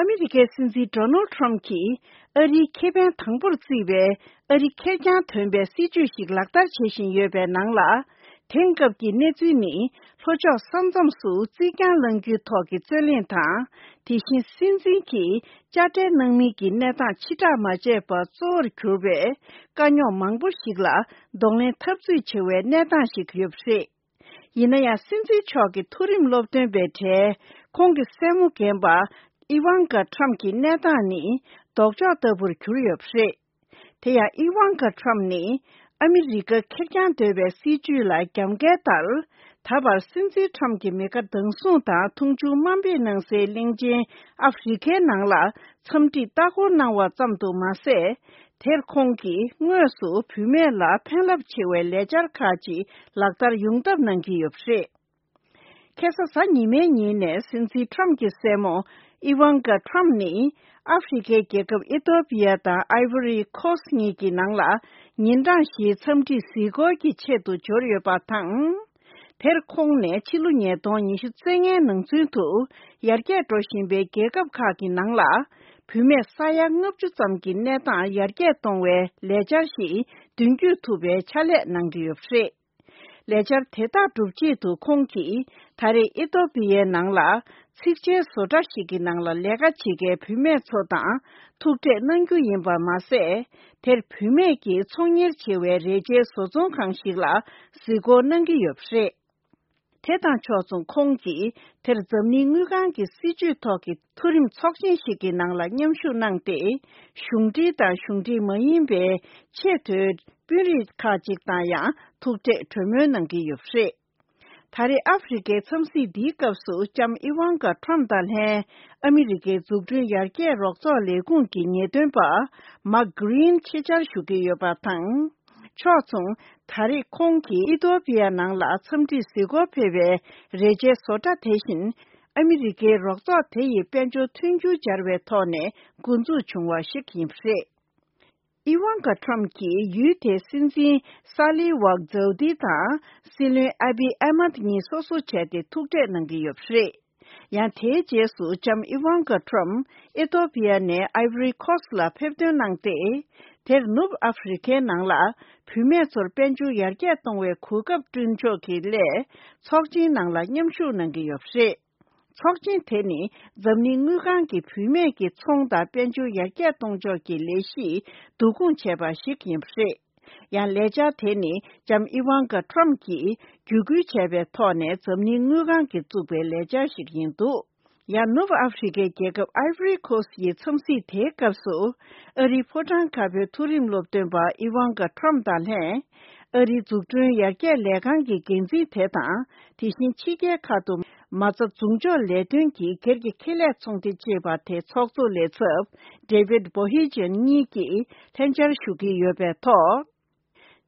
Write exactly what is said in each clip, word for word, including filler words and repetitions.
ཨ་མི་རི་ཀའི་སྲིད་འཛིན་ཌོ་ནལ་ཌི་ཊརམ་ཕི་གྱིས་ཨ་རིའི་ཁེ་ཕན་དང་པོར་བརྩིས་པའི་ཨ་རི་ཁེར་རྐྱང་ཐོན་པའི་སྲིད་ཇུས་ཤིག་ལག་བསྟར་བྱེད་བཞིན་ཡོད་པའི་ནང་ལ། དེང་སྐབས་ཀྱི་གནས་ཚུལ་ནི། ལྷོ་ཕྱོགས་ས་མཚམས་སུ་རྩིག་གྱང་བསླང་རྒྱུའི་ཐོག་གི་རྩོད་གླེང་དང་། དེ་བཞིན་སྲིད་འཛིན་གྱིས་དཔྱ་ཁྲལ་གནང་མིན་གྱི་གནས་སྟངས་ཕྱི་བསྒྲགས་མ་བྱས་པ་གཙོ་བོར་གྱུར་པའི་དཀའ་རྙོག་མང་པོ་ཞིག་ལ་གདོང་ལེན་འཐབ་རྩོད་བྱེད་པའི་གནས་སྟངས་ཤིག་ཡོད་པ་རེད། ཡིན་ན་ཡང་། སྲིད་འཛིན་མཆོག་གི་མཐོ་རིམ་སློབ་སྟོན་པའི་གྲས་ཁོང་གི་སྲས་མོ་རྒན་པ་ཨི་ཝང་ཀ་ཊརམ་གྱི་གནས་སྟངས་ནི་ལྡོག་ཕྱོགས་ལྟ་བུར་གྱུར་ཡོད་པ་རེད། དེ་ཡང་ཨི་ཝང་ཀ་ཊརམ་ནི་ཨ་མི་རི་ཀ་ཁེར་རྐྱང་སྡོད་པའི་སྲིད་བྱུས་ལ་རྒྱབ་འགལ་ལྟར། ད་བར་སྲིད་འཛིན་ཊརམ་གྱི་མི་དགའ་སྡང་ཟུང་དང་མཐོང་ཆུང་དམའ་འབེབས་གནང་སའི་གླིང་ཆེན་ཨ་ཧྥེ་རི་ཁའི་ནང་ལ་འཚམས་འདྲིར་ལྟ་སྐོར་གནང་བ་ཙམ་དུ་མ་ཟད། དེར་ཁོང་གིས་དངོས་སུ་བུད་མེད་ལ་ཕན་རླབས་ཆེ་བའི་ལས་འཆར་ཁག་ཅིག་ལག་བསྟར་ཡོང་ཐབས་གནང་གི་ཡོད་པ་རེད། ཁ་སང་གཟའ་ཉི་མའི་ཉིན་ནས་སྲིད་འཛིན་ཊརམ་གྱི་སྲས་མོ་ཨི་ཝང་ཀ་ཊརམ་ནི་ཨ་ཧྥེ་རི་ཁའི་རྒྱལ་ཁབ་ཨི་ཐོ་པི་ཡ་དང་ཨའི་བོ་རི་ཁོ་སི་གཉིས་ཀྱི་ནང་ལ་ཉིན་གྲངས་བཞིའི་འཚམས་འདྲིའི་གཟིགས་སྐོར་གྱི་ཆེད་དུ་འབྱོར་ཡོད་པ་དང་། དེར་ཁོང་ནས་ཕྱི་ལོ་ཉིས་སྟོང་ཉི་ཤུ་རྩ་ལྔའི་ནང་ཚུན་དུ་ཡར་རྒྱས་འགྲོ་བཞིན་པའི་རྒྱལ་ཁབ་ཁག་གི་ནང་ལ་བུད་མེད་ས་ཡ་ལྔ་བཅུ་ཙམ་གྱི་གནས་སྟངས་ཡར་རྒྱས་གཏོང་བའི་ལས་འཆར་ཞིག་མདུན་སྐྱོད་ཐུབ་པའི་ཕྱག་ལས་གནང་གི་ཡོད་པ་རེད། ལས་འཆར་དེ་དག་སྒྲུབ་ཆེད་དུ་ཁོང་གིས་ད་རེས་ཨི་ཐོ་པི་ཡའི་ནང་ལ་ཚིགས་བཅད་བཟོ་གྲྭ་ཞིག་གི་ནང་ལ་ལས་ཀ་བྱེད་མཁན་བུད་མེད་ཚོ་དང་ཐུག་འཕྲད་གནང་རྒྱུ་ཡིན་པ་མ་ཟད། དེར་བུད་མེད་ཀྱིས་ཚོང་གཉེར་བྱེད་པའི་རས་ཆའི་བཟོ་ཚོང་ཁང་ཞིག་ལ་གཟིགས་སྐོར་གནང་གི་ཡོད་པ་རེད། དེ་དང་ཕྱོགས་མཚུངས་ཁོང་གིས་དེར་འཛམ་གླིང་དངུལ་ཁང་གི་སྲིད་ཇུས་ཐོག་གི་མཐོ་རིམ་ཚོགས་ཆེན་ཞིག་གི་ནང་ལ་མཉམ་ཞུགས་གནང་སྟེ། གཞུང་འབྲེལ་དང་གཞུང་འབྲེལ་མ་ཡིན་པའི་ཆེས་མཐོའི་དཔོན་རིགས་ཁག་ཅིག་དང་ཡང་ཐུག་འཕྲད་གྲོས་མོལ་གནང་གི་ཡོད་པ་རེད། ད་རེས་ཨ་ཧྥེ་རི་ཁའི་འཚམས་གཟིགས་འདིའི་སྐབས་སུ་ལྕམ་ཨི་ཝང་ཀ་ཊྲམ་དང་ལྷན་ཨ་མི་རི་ཀའི་འཛུགས་སྐྲུན་ཡར་རྒྱས་རོགས་ཚོགས་ལས་ཁུངས་ཀྱི་ཉེས་དོན་པ་མཱག་གྷི་རིན་ཆེད་བཅར་ཞུ་གི་ཡོད་པ་དང་། ཕྱོགས་མཚུངས། ད་རེས་ཁོང་གིས་ཨི་ཐོ་པི་ཡ་ནང་ལ་འཚམས་འདྲིར་གཟིགས་སྐོར་ཕེབས་པའི་རས་ཆའི་བཟོ་གྲྭ་དེ་བཞིན། ཨ་མི་རི་ཀའི་རོགས་ཚོགས་དེ་ཡི་དཔལ་འབྱོར་མཐུན་འགྱུར་སྦྱར་བའི་ཐོག་ནས་འགོ་འཛུགས་བྱུང་བ་ཞིག་ཡིན་པ་རེད། ཨི་ཝང་ཀ་ཊྲམ་གྱིས་ཡུལ་དེའི་སྲིད་འཛིན་ས་ལི་ཝག་ཛའུ་དི་དང་སྲིད་བློན་ཨ་བི་ཨ་མད་གཉིས་སོ་སོ་བྱས་ཏེ་ཐུག་འཕྲད་གནང་གི་ཡོད་པ་རེད། ཡང་དེའི་རྗེས་སུ་ལྕམ་ཨི་ཝང་ཀ་ཊྲམ་ཨི་ཐོ་པི་ཡ་ནས་ཨའི་བྷོ་རི་ཁོ་སི་ལ་ཕེབས་ཐོན་གནང་སྟེ། དེར་ནུབ་ཨ་ཧྥེ་རི་ཁའི་ནང་ལ་བུད་མེད་ཚོར་དཔལ་འབྱོར་ཡར་རྒྱས་གཏོང་བའི་གོ་སྐབས་བསྐྲུན་ཕྱོགས་ཀྱི་སླད། ཚོགས་ཆེན་ནང་ལ་མཉམ་ཞུགས་གནང་གི་ཡོད་པ་རེད། ཚོགས་ཆེན་དེ་ནི་འཛམ་གླིང་དངུལ་ཁང་གིས་བུད་མེད་ཀྱི་ཚོང་དང་དཔལ་འབྱོར་ཡར་རྒྱས་གཏོང་ཕྱོགས་ཀྱི་ལས་གཞི་བསྡུ་སྐོང་བྱས་པ་ཞིག་ཡིན་པ་རེད། ཡང་ལས་འཆར་དེ་ནི་ལྕམ་ཨི་ཝང་ཀ་ཊྲམ་གྱིས་བརྒྱུད་སྐུལ་བྱས་པའི་ཐོག་ནས་འཛམ་གླིང་དངུལ་ཁང་གིས་བཙུགས་པའི་ལས་འཆར་ཞིག་ཡིན་འདུག་ཡང་ནུབ་ཨ་ཧྥེ་རི་ཁའི་རྒྱལ་ཁབ་ཨའི་བྷོ་རི་ཁོ་སི་ཡི་འཚམས་གཟིགས་དེའི་སྐབས་སུ། ཨ་རིའི་ཕོ་བྲང་དཀར་པོའི་མཐོ་རིམ་སློབ་སྟོན་པ་ཨི་ཝང་ཀ་ཊྲམ་དང་ལྷན། ཨ་རིའི་འཛུགས་སྐྲུན་ཡར་རྒྱས་ལས་ཁང་གི་འགན་འཛིན་དེ་དང་། དེ་བཞིན་ཕྱི་རྒྱལ་ཁག་ཏུ་མ་རྩ་འཛུགས་འཇོག་ལས་དོན་གྱི་སྒེར་གྱི་ཁེ་ལས་ཚོང་སྡེ་ཅེས་པ་དེའི་ཚོགས་གཙོ་ལས་ཚབ་David Bohjian་གཉིས་ཀྱིས་ལྷན་བཅར་ཞུ་གི་ཡོད་པའི་ཐོག་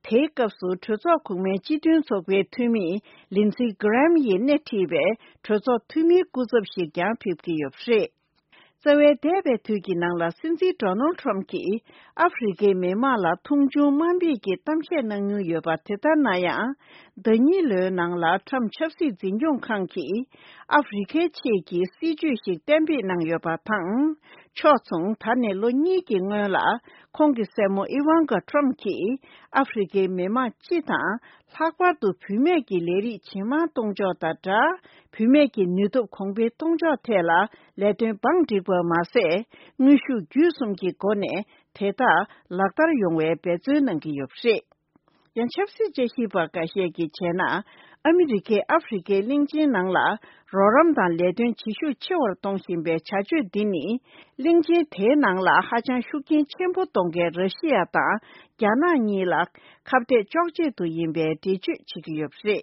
དེའི་སྐབས་སུ་གྲོས་ཚོགས་གོང་མའི་སྤྱི་མཐུན་ཚོགས་པའི་འཐུས་མི་Lindsey Graham་ཡིས་སྣེ་ཁྲིད་པའི་གྲོས་ཚོགས་འཐུས་མིའི་སྐུ་ཚབ་ཞིག་ཀྱང་ཕེབས་ཀྱི་ཡོད་པ་རེད། རྩ་བའི་འདས་པའི་དུས་ཀྱི་ནང་ལ་སྲིད་འཛིན་Donald Trump་གྱིས་ཨ་ཧྥེ་རི་ཁའི་མི་དམངས་ལ་མཐོང་ཆུང་དམའ་འབེབས་ཀྱི་གཏམ་བཤད་གནང་མྱོང་ཡོད་པ་དེ་ལྟར་ན་ཡང་། ཟླ་ཉིན་ལོའི་ནང་ལ་Trump་ཆབ་སྲིད་འཛིན་སྐྱོང་ཁང་གིས་ཨ་ཧྥེ་རི་ཁའི་ཆེད་ཀྱི་སྲིད་ཇུས་ཤིག་གཏན་འབེབས་གནང་ཡོད་པ་དང་། ཕྱོགས་མཚུངས། ད་ནས་ལོ་གཉིས་ཀྱི་སྔོན་ལ་ཁོང་གི་སྲས་མོ་ཨི་ཝང་ཀ་ཊྲམ་གྱིས་ཨ་ཧྥེ་རི་ཁའི་མི་དམངས་སྤྱི་དང་། ལྷག་པར་དུ་བུད་མེད་ཀྱི་ལས་རིགས་ཇེ་མང་གཏོང་ཕྱོགས་དང་སྦྲགས། བུད་མེད་ཀྱི་ནུས་སྟོབས་གོང་འཕེལ་གཏོང་ཕྱོགས་ཐད་ལ་ལས་དོན་བང་བསྒྲིགས་པ་མ་ཟད། དངོས་ཤུགས་བརྒྱུད་གསུམ་གྱི་སྒོ་ནས་དེ་དག་ལག་བསྟར་ཡོང་བའི་འབད་བརྩོན་གནང་གི་ཡོད་པ་རེད། ཡང་ཆབ་སྲིད་དཔྱད་ཞིབ་པ་འགའ་ཤས་ཀྱིས་བྱས་ན། ཨ་མི་རི་ཀས་ཨ་ཧྥེ་རི་ཁའི་གླིང་ཆེན་ནང་ལ་རོགས་རམ་དང་ལས་དོན་བྱེད་ཤུགས་ཆེ་བར་གཏོང་བཞིན་པའི་བྱ་སྤྱོད་འདི་ནི། གླིང་ཆེན་དེའི་ནང་ལ་ཧ་ཅང་ཤུགས་རྐྱེན་ཆེན་པོ་གཏོང་མཁན་ར་ཤི་ཡ་དང་རྒྱ་ནག་གཉིས་ལ་ཁ་གཏད་གཅོག་ཆེད་དུ་ཡིན་པའི་འགྲེལ་བརྗོད་བྱེད་ཀྱི་ཡོད་པ་རེད།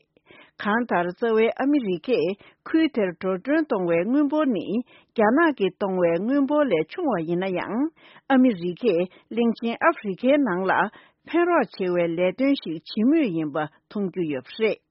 གང་ལྟར། རྩ་བའི་ཨ་མི་རི་ཀས་ཁུལ་དེར་འགྲོ་གྲོན་གཏོང་བའི་དངུལ་འབོར་ནི། རྒྱ་ནག་གིས་གཏོང་བའི་དངུལ་འབོར་ལས་ཆུང་བ་ཡིན་ན་ཡང་། ཨ་མི་རི་ཀས་གླིང་ཆེན་ཨ་ཧྥེ་རི་ཁའི་ནང་ལ་ཕན་རོགས་བྱེད་པའི་ལས་དོན་ཞིག་བྱེད་མུས་ཡིན་པ་མཐོང་རྒྱུ་ཡོད་པ་རེད།